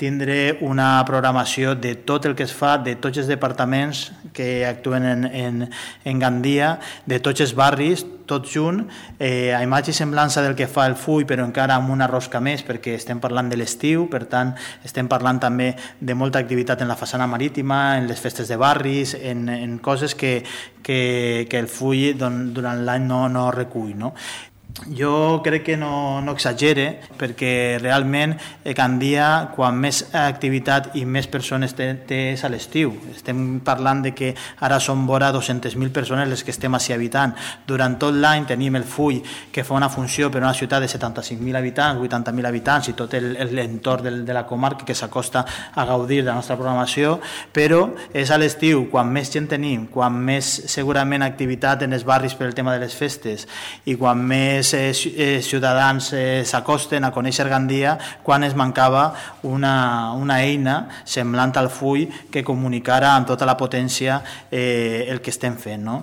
tindre una programació de tot el que es fa, de tots els departaments que actuen en Gandia, de tots els barris, tot junt, a imatge i semblança del que fa el FUI, però encara amb una rosca més, perquè estem parlant de l'estiu, per tant, estem parlant també de molta activitat en la façana marítima, en les festes de barris, en coses que el FUI durant l'any no recull, no? Jo crec que no exagere, perquè realment Gandia, quan més activitat i més persones té és a l'estiu. Estem parlant de que ara són vora 200.000 persones les que estem així habitant. Durant tot l'any tenim el FUI, que fa una funció per una ciutat de 75.000 habitants, 80.000 habitants i tot l'entorn de la comarca que s'acosta a gaudir de la nostra programació, però és a l'estiu quan més gent tenim, quan més segurament activitat en els barris per el tema de les festes i quan més ciutadans s'acosten a conèixer Gandia, quan es mancava una eina semblant al FUI que comunicara amb tota la potència el que estem fent, no?